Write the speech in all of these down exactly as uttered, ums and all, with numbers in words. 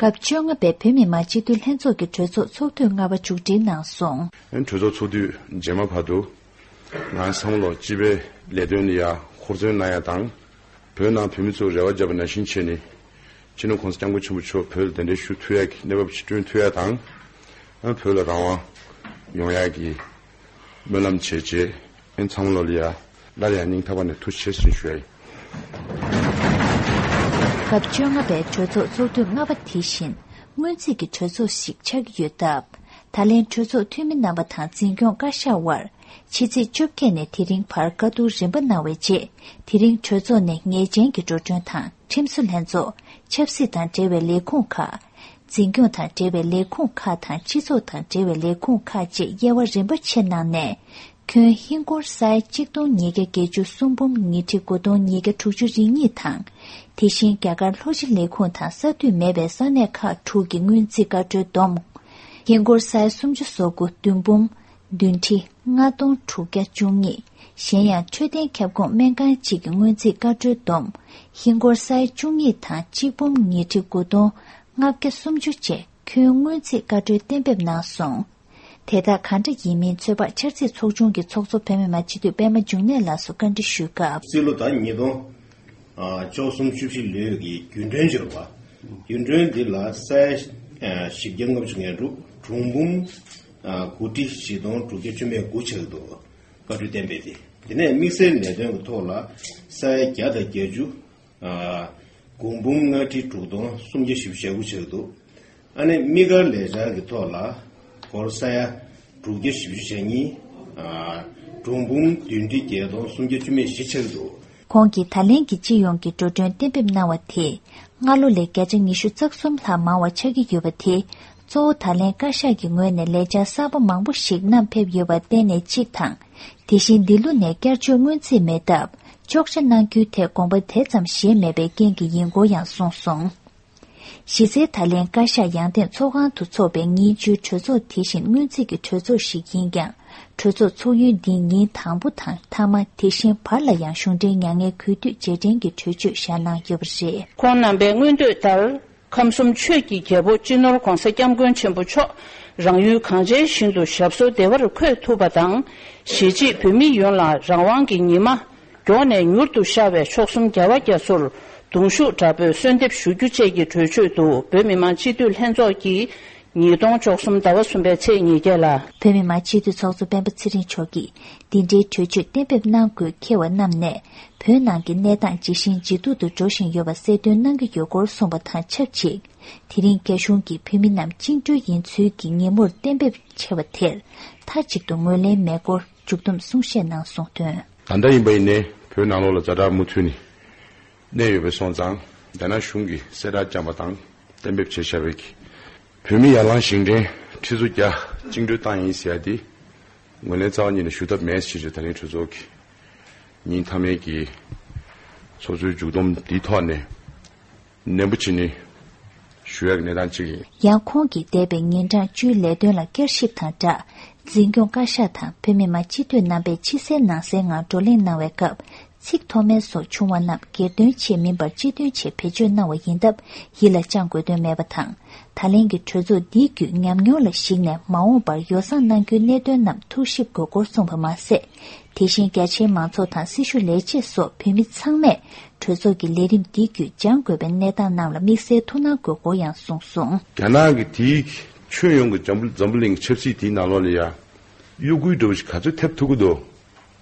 སྐབས་བཅོ་ལྔ་པའི་བོད་མི་མང་སྤྱི་འཐུས་ལྷན་ཚོགས་ཀྱི་གྲོས་ཚོགས་ཚོགས་དུས་ལྔ་པ་མཇུག་སྒྲིལ་གནང་སོང་། གྲོས་ཚོགས་ཚོགས་དུས་རྗེས་མ་བར་དུ། ང་ཚང་མ་ལོ་སྤྱི་པའི་ལས་དོན་ལ་ཡ་ཧུར་བརྩོན་གནང་ཡ་དང་། བོད་ནང་བོད་མི་ཚོར་རེ་བ་བརྒྱབ་པ་ནང་བཞིན་བྱས་ནས། སྤྱི་ནོར་༸གོང་ས་༸སྐྱབས་མགོན་ཆེན་པོ་མཆོག་བོད་ལ་གདན་འདྲེན་ཞུ་ཐུབ་ཡ་གི་གནས་བབ་ཅིག་བསྐྲུན་ཐུབ་ཡ་དང་། ཨ་བོད་ལ་རང་དབང་ཡོང་ཡ་གི་སྨོན་ལམ་བྱས་རྗེས། ཨ་ཚང་མ་ལོ་ལ་ཡ་སླར་ཡང་སྙིང་ཐག་པ་ནས་ཐུགས་རྗེ་ཆེ་ཞུ་ཡ་ཡིན། སྐབས་བཅོ་ལྔ་པའི་གྲོས་ཚོགས་ཚོགས་དུས་ལྔ་པ་དེ་བཞིན་སྔོན་རྩིས་ཀྱི་གྲོས་ཚོགས་ཤིག་ཆགས་ཀྱི་ཡོད་སྟབས། ད་ལན་གྲོས་ཚོགས་འཐུས་མི་རྣམ་པ་དང་འཛིན་སྐྱོང་བཀའ་ཤག་དབར་ཕྱི་ཚེས་བཅོ་བརྒྱད་ནས་དེ་རིང་བར་བཀའ་བསྡུར་རིམ་པ་གནང་བའི་རྗེས། དེ་རིང་གྲོས་ཚོགས་ནས་ངེས་ཅན་གྱི་འགྲོ་གྲོན་དང་ཁྲིམས་བཟོ་ལྷན་ཚོགས། ཆབ་སྲིད་དང་འབྲེལ་བའི་ལས་ཁུངས་ཁག་འཛིན་སྐྱོང་དང་འབྲེལ་བའི་ལས་ཁུངས་ཁག་དང་སྤྱི་ཚོགས་དང་འབྲེལ་བའི་ལས་ཁུངས་ཁག་བཅས་དབྱེ་བ་རིམ་པ་ཕྱེ་གནང་ནས། ཁྱོན་ཧིན་སྒོར་ས་ཡ་གཅིག་སྟོང་ཉིས་བརྒྱ་བརྒྱད་ཅུ་གསུམ་འབུམ་ཉིས་ཁྲི་དགུ་སྟོང་ཉིས་བརྒྱ་དྲུག་ཅུ་རེ་གཉིས་དང་། དེ་བཞིན་རྒྱ་གར་ལྷོ་སྤྱི་ལས་ཁུངས་དང་ས་འཐུས་མེད་པའི་ས་གནས་ཁག་དྲུག་གི་སྔོན་རྩིས་བཀའ་འཁྲོལ་བསྡོམས། ཧིན་སྒོར་ས་ཡ་སུམ་ཅུ་སོ་དགུ་བདུན་འབུམ་བདུན་ཁྲི་ལྔ་སྟོང་དྲུག་བརྒྱ་བཅུ་གཉིས། གཞན་ཡང་འཕྲོད་བསྟེན་ཁྱབ་ཁོངས་སྨན་ཁང་གཅིག་གི་སྔོན་རྩིས་བཀའ་འཁྲོལ་བསྡོམས། ཧིན་སྒོར་ས་ཡ་བཅུ་གཉིས་དང་གཅིག་འབུམ་ཉིས་ཁྲི་དགུ་སྟོང་ལྔ་བརྒྱ་སུམ་ཅུ་བཅས་ཁྱོན་སྔོན་རྩིས་བཀའ་འཁྲོལ་གཏན་འབེབས་གནང་སོང་། དེ་དག་གང་འདྲ་ཡིན་མིན་ཚོད་དཔག་འཆར་རྩིས་ཚོགས་ཆུང་གི་ཚོགས་གཙོ་བོད་མི་མང་སྤྱི་འཐུས་པད་མ་འབྱུང་གནས་ལགས་སུ་བཀའ་འདྲི་ཞུས་སྐབས། རྩིས་ལོ་ཟླ་ཉིས་སྟོང་བཅུ་གསུམ་བཅུ་བཞི་ལོའི་གི་རྒྱུན་གྲོན་ཅིག་རེད་པ། རྒྱུན་གྲོན་འདི་ལ་ས་ཡ་བཞི་བརྒྱ་ལྔ་བཅུ་ང་དྲུག་གྲངས་འབུམ་དགུ་ཁྲི་བཞི་སྟོང་དྲུག་བརྒྱ་བཅུ་མེད་དགུ་ཆགས་འདུག་བཀའ་འཁྲོལ་གཏན་འབེབས་དེ། དེ་ནས་དམིགས་བསལ་ལས་དོན་གྱི་ཐོག་ལ་ས་ཡ་བརྒྱ་དང་བརྒྱད་ཅུ། དགུ་འབུམ་ལྔ་ཁྲི་དྲུག་སྟོང་སུམ་བརྒྱ་བཞི་བཅུ་ཞེ་དགུ་ཆགས་འདུག་ཨ་ནི་དམིགས་བཀར་ལས་འཆར་གྱི་ཐོག་ལ་སྒོར་ས་ཡ་དྲུག་བརྒྱ་བཞི་བཅུ་ཞེ་གཉིས། གྲངས་འབུམ་བདུན་ཁྲི་བརྒྱད་སྟོང་སུམ་བརྒྱ་བཅུ་མེད་བཞི་ཆགས་འདུག་ཁོང་གིས་ད་ལན་གྱི་སྤྱི་ཡོངས་ཀྱི་འགྲོ་གྲོན་གཏན་འབེབས་གནང་བ་དེས་སྔ་ལོ་ལས་བརྒྱ་ཆ་ཉི་ཤུ་རྩ་གསུམ་ལྷག་མང་བ་ཆགས་ཀྱི་ཡོད་པ་དེ། གཙོ་བོ་ད་ལན་བཀའ་ཤག་གི་ངོས་ནས་ལས་འཆར་གསར་པ་མང་པོ་ཞིག་བསྣམས་ཕེབས་ཡོད་པར་བརྟེན་ནས་གཅིག་དང་། དེ་བཞིན་འདི་ལོ་ནས་བསྐྱར་བཅོས་སྔོན་རྩིས་མེད་སྟབས་གཅོག་ཆ་གནང་རྒྱུའི་ཐད་དགོངས་པ་དེ་ཙམ་བཞེས་མེད་པའི་རྐྱེན་གྱིས་ཡིན་སྐོར་ཡང་གསུངས་སོང་། གཞི་རྩའི་ད་ལན་བཀའ་ཤག་ཡང་སྟེང་ཚོགས་ཁང་དུ་འཚོགས་པའི་ཉིན་བཅུའི་གྲོས་ཚོགས་དེ་བཞིན་སྔོན་རྩིས་ཀྱི་གྲོས་ཚོགས་ཤིག་ཡིན་ཀྱང་། གྲོས་ཚོགས་ཚོགས་ཡུན་འདི་ཉིན་དང་པོ་དང་མཐའ་མ་དེ་བཞིན་བར་ལ་ཡང་གཞུང་འབྲེལ་མྱ་ངན་གུས་འདུད་རྗེས་དྲན་གྱི་གྲོས་ཆོད་བཞག་གནང་ཡོད་པ་རེད། ཁོང་རྣམ་པའི་མངོན་འདོད་ལྟར། ཁམས་གསུམ་ཆོས་ཀྱི་རྒྱལ་པོ་སྤྱི་ནོར་༸གོང་ས་༸སྐྱབས་མགོན་ཆེན་པོ་མཆོག་རང་ཡུལ་གངས་ཅན་ཞིང་དུ་ཞབས་སོར་བདེ་བར་འཁོད་ཐུབ་པ་དང་། གཞིས་བྱེས་བོད་མི་ཡོངས་ལ་རང་དབང་གི་ཉི་མ་མགྱོགས་ནས་མྱུར་དུ་ཤར་བའི་མཆོག་གསུམ་རྒྱལ་བ་རྒྱ་མཚོར་གདུང་ཤུགས་དྲག་པོས་གསོལ་འདེབས་ཞུ་རྒྱུ་བཅས་ཀྱི་གྲོས་ཆོད་དུ་བོད་མི་མང་སྤྱི་འཐུས་ལྷན་ཚོགས་ཀྱིས་ཉིས་སྟོང་བཅུ་གསུམ་ཟླ་བ་གསུམ་པའི་ཚེས་ཉེར་བརྒྱད་ལ། བོད་མི་མང་སྤྱི་འཐུས་ཚོགས་གཙོ་སྤེན་པ་ཚེ་རིང་མཆོག་གིས། འདི་འདྲའི་གྲོས་ཆོད་གཏན་འབེབས་གནང་དགོས་འཁེལ་བ་རྣམས་ནས། བོད་ནང་གི་གནས་སྟངས་ཇེ་ཞན་ཇེ་སྡུག་ཏུ་འགྲོ་བཞིན་ཡོད་པ་གསལ་སྟོན་གནང་གི་ཡོད་སྐོར་གསུངས་པ་དང་ཆབས་ཅིག་དེ་རིང་རྒྱ་གཞུང་གིས་བོད་མི་རྣམས་བཅིངས་འགྲོལ་ཡིན་ཚུལ་གྱི་ཉིན་མོར་གཏན་འབེབས་བྱས་པ་དེར་མཐའ་གཅིག་ཏུ་ངོས་ལེན་མེད་སྐོར་མཇུག་བསྡོམས་གསུང་བཤད་ནང་གསུངས་དོན། ད་ལྟ་ཡིན་པ་ཡིན་ནའི་བོད་ནང་ལོགས་ལ་ཛ་དྲག་མུ་མཐུད་ནས་གནས་ཡོད་པའི་སོང་ཙང་། རྒྱ་ནག་གཞུང་གིས་གསལ་བསྒྲགས་བསྐྱངས་པ་དང་གཏན་འབེབས་བྱས་བཞག་པའི་གི་བོད་མི་ཡར་ལངས་བཞེངས་སྐྲུན་ཁྲི་ཚོ་བརྒྱ་བཅིངས་འགྲོལ་བཏང་ཡིན་ཟེར་ཡ་དེ། ངོས་ལེན་རྩ་བ་ཉིད་ནས་ཞུ་ཐབས་མེད་ཅེས་བྱས། ད་རིང་གྲོས་ཚོགས་ཀྱི་ཉིན་མཐའ་མའི་གི་ཚོགས་གཙོའི་མཇུག་བསྡོམས་འདིའི་ཐོག་ནས་ནན་པོ་བྱས་ནས་ཞུ་ཡག་གི་གནས་སྟངས་གཅིག་ཡིན། ཡང་ཁོང་གིས་འདས་པའི་ཉིན་གྲངས་བཅུའི་ལས་དོན་ལ་བསྐྱར་ཞིབ་དང་སྦྲགས། འཛིན་སྐྱོང་བཀའ་ཤག་དང་བོད་མི་མང་སྤྱི་འཐུས་རྣམ་པས་ཕྱི་གསལ་ནང་གསལ་ངང་བགྲོ་གླེང་གནང་བའི་སྐབས། ཚིག་མཐོ་དམན་སོགས་བྱུང་བ་རྣམས་སྒེར་དོན་ཆེད་མིན་པར་སྤྱི་དོན་ཆེད་བེད་སྤྱོད་གནང་བ་ཡིན་སྟབས་ཡིད་ལ་བཅངས་དགོས་དོན་མེད་པ་དང་། ད་ལན་གྱི་གྲོས་ཚོགས་འདིའི་བརྒྱུད་ཉམས་མྱོང་ལ་གཞིགས་ནས་མ་འོངས་པར་ཡོ་བསྲང་གནང་རྒྱུའི་གནད་དོན་རྣམས་ཐུགས་ཞིབ་དགོས་སྐོར་གསུངས་པ་མ་ཟད། དེ་བཞིན་རྒྱ་ཆེའི་མང་ཚོགས་དང་སྲི་ཞུ་ལས་བྱེད་སོགས་བོད་མི་ཚང་མས་གྲོས་ཚོགས་ཀྱི་ལས་རིམ་འདི་བརྒྱུད་སྦྱང་དགོས་པའི་གནས་སྟངས་རྣམས་ལ་དམིགས་བསལ་ཐུགས་སྣང་དགོས་སྐོར་ཡང་གསུངས་སོང་། རྒྱ་ནག་གི་དེའི་ཁྱོན་ཡོངས་ཀྱི་འཛམ་བུ་འཛམ་བུ་གླིང་གི་ཆབ་སྲིད་དེའི་ནང་ལོགས་ལ་ཡ་གཡོ་འགུལ་འདྲ་བོ་ཞིག་ག་ཚོད་ཐེབས་ཐུབ་ཀྱི་འདུག་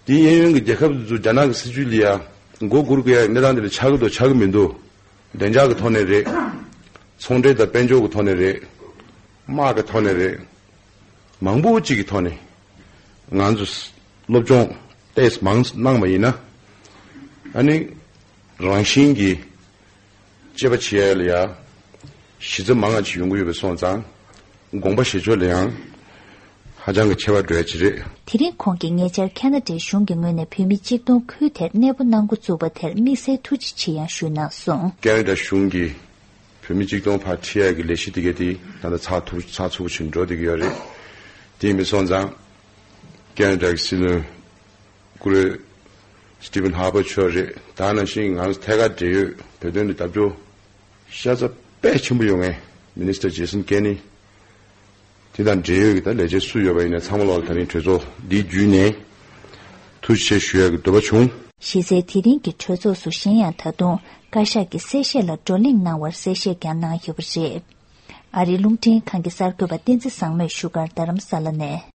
དེའི་གཡས་གཡོན་གྱི་རྒྱལ་ཁབ་དེ་ཚོ་རྒྱ་ནག་གི་སྲིད་བྱུས་ལ་ཡ་མགོ་སྒུར་དགོས་ཡ་གནས་སྟངས་དེ་ལ་ཆགས་ཀྱི་འདུག་ཆགས་ཀྱི་མི་འདུག་བདེ་འཇགས་ཀྱི་ཐོག་ནས་རེད། ཚོང་འབྲེལ་དང་དཔལ་འབྱོར་གྱི་ཐོག་ནས་རེད། དམག་གི་ཐོག་ནས་རེད། མང་པོ་ཅིག་གི་ཐོག་ནས་ང་ཚོས་སློབ་སྦྱོང་ཏོག་ཙམ་མང་གནང་བ་ཡིན་ན། ཨ་ནི་རང་བཞིན་གྱིས་དཔྱད་པ་བྱེད་ཡ་ལ་ཡ་གཞི་རྩ་མང་ང་ཅིག་ཡོང་གི་ཡོད་པ་སོང་ཙང་། དགོངས་པ་བཞེས་ཕྱོགས་ལ་ཡང་ཧ་ཅང་གི་ཁྱད་པར་འགྲོ་ཡ་ཅིག་རེད། དེ་རིང་ཁོང་གིས་ཉེ་ཆར་ཁ་ན་ཌའི་གཞུང་གི་ངོས་ནས་བོད་མི་གཅིག་སྟོང་ཁུལ་དེར་གནས་སྤོ་གནང་འགོ་བཙུགས་པ་དེར་དམིགས་བསལ་ཐུགས་རྗེ་ཆེ་ཡང་ཞུས་གནང་སོང་། ཁ་ན་ཌ་གཞུང་གིས་བོད་མི་གཅིག་སྟོང་ཕར་ཁྲིད་ཡ་གི་ལས་གཞི་དེ་ག་དེ་ད་ལྟ་ཚགས་ཐུབ་ཚགས་ཚུད་པོ་ཞིག་འགྲོ་བསྡད་ཀྱི་ཡོད་རེད། དེ་ཡིན་པ་སོང་ཙང་ཁ་ན་ཌ་གི་སྲིད་བློན་སྐུ་ངོ་སི་ཊི་ཝན་ཧར་པར་མཆོག་རེད། ད་ནང་བཞིན་ང་ཚོ་ཐད་ཀར་འབྲེལ་ཡོད་བོད་དོན་ལ་རྒྱབ་སྐྱོར་ཤ་ཚ་དཔེ་ཆེན་པོ་ཡོད་མཁན། Minister Jason Kenney དེ་དང་འབྲེལ་ཡོད་ཀྱི་ད་ལས་བྱེད་སུ་ཡོད་པ་ཡིན་ན་ཚང་མ་ལ་ད་རིང་གྲོས་ཚོགས་འདི་བརྒྱུད་ནས་ཐུགས་རྗེ་ཆེ་ཞུ་ཡག་གི་འདོད་པ་བྱུང་། གཞི་རྩའི་དེ་རིང་གི་གྲོས་ཚོགས་སུ་གཞན་ཡང་ད་དུང་བཀའ་ཤག་གི་གསལ་བཤད་ལ་བགྲོ་གླེང་གནང་བར་གསལ་བཤད་ཀྱང་གནང་ཡོད་པ་རེད། ཨ་རིའི་རླུང་འཕྲིན་ཁང་གི་གསར་འགོད་པ་བསྟན་འཛིན་བཟང་མོས་བཞུགས་སྒར་རྡ་རམ་ས་ལ་ནས།